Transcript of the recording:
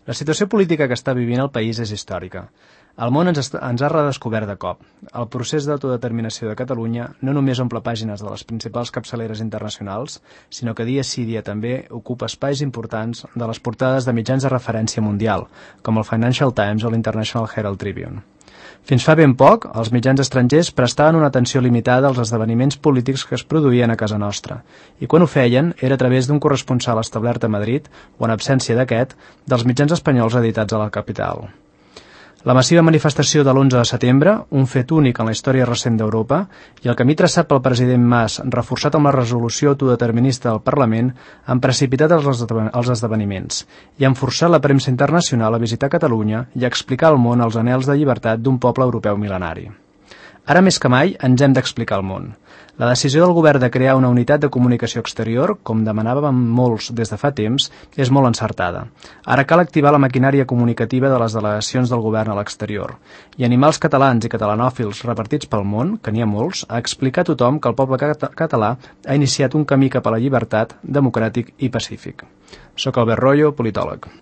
La situació política que està vivint el país és històrica. El món ens ha redescobert de cop. El procés d'autodeterminació de Catalunya no només omple pàgines de les principals capçaleres internacionals, sinó que dia sí dia també ocupa espais importants de les portades de mitjans de referència mundial, com el Financial Times o l'International Herald Tribune. Fins fa ben poc, els mitjans estrangers prestaven una atenció limitada als esdeveniments polítics que es produïen a casa nostra, i quan ho feien era a través d'un corresponsal establert a Madrid, o en absència d'aquest, dels mitjans espanyols editats a la capital. La massiva manifestació de l'11 de setembre, un fet únic en la història recent d'Europa, i el camí traçat pel president Mas, reforçat amb la resolució autodeterminista del Parlament, han precipitat els esdeveniments i han forçat la premsa internacional a visitar Catalunya i a explicar al món els anhels de llibertat d'un poble europeu mil·lenari. Ara més que mai ens hem d'explicar al món. La decisió del govern de crear una unitat de comunicació exterior, com demanàvem molts des de fa temps, és molt encertada. Ara cal activar la maquinària comunicativa de les delegacions del govern a l'exterior i animar els catalans i catalanòfils repartits pel món, que n'hi ha molts, a explicar a tothom que el poble català ha iniciat un camí cap a la llibertat, democràtic i pacífic. Soc Albert Royo, politòleg.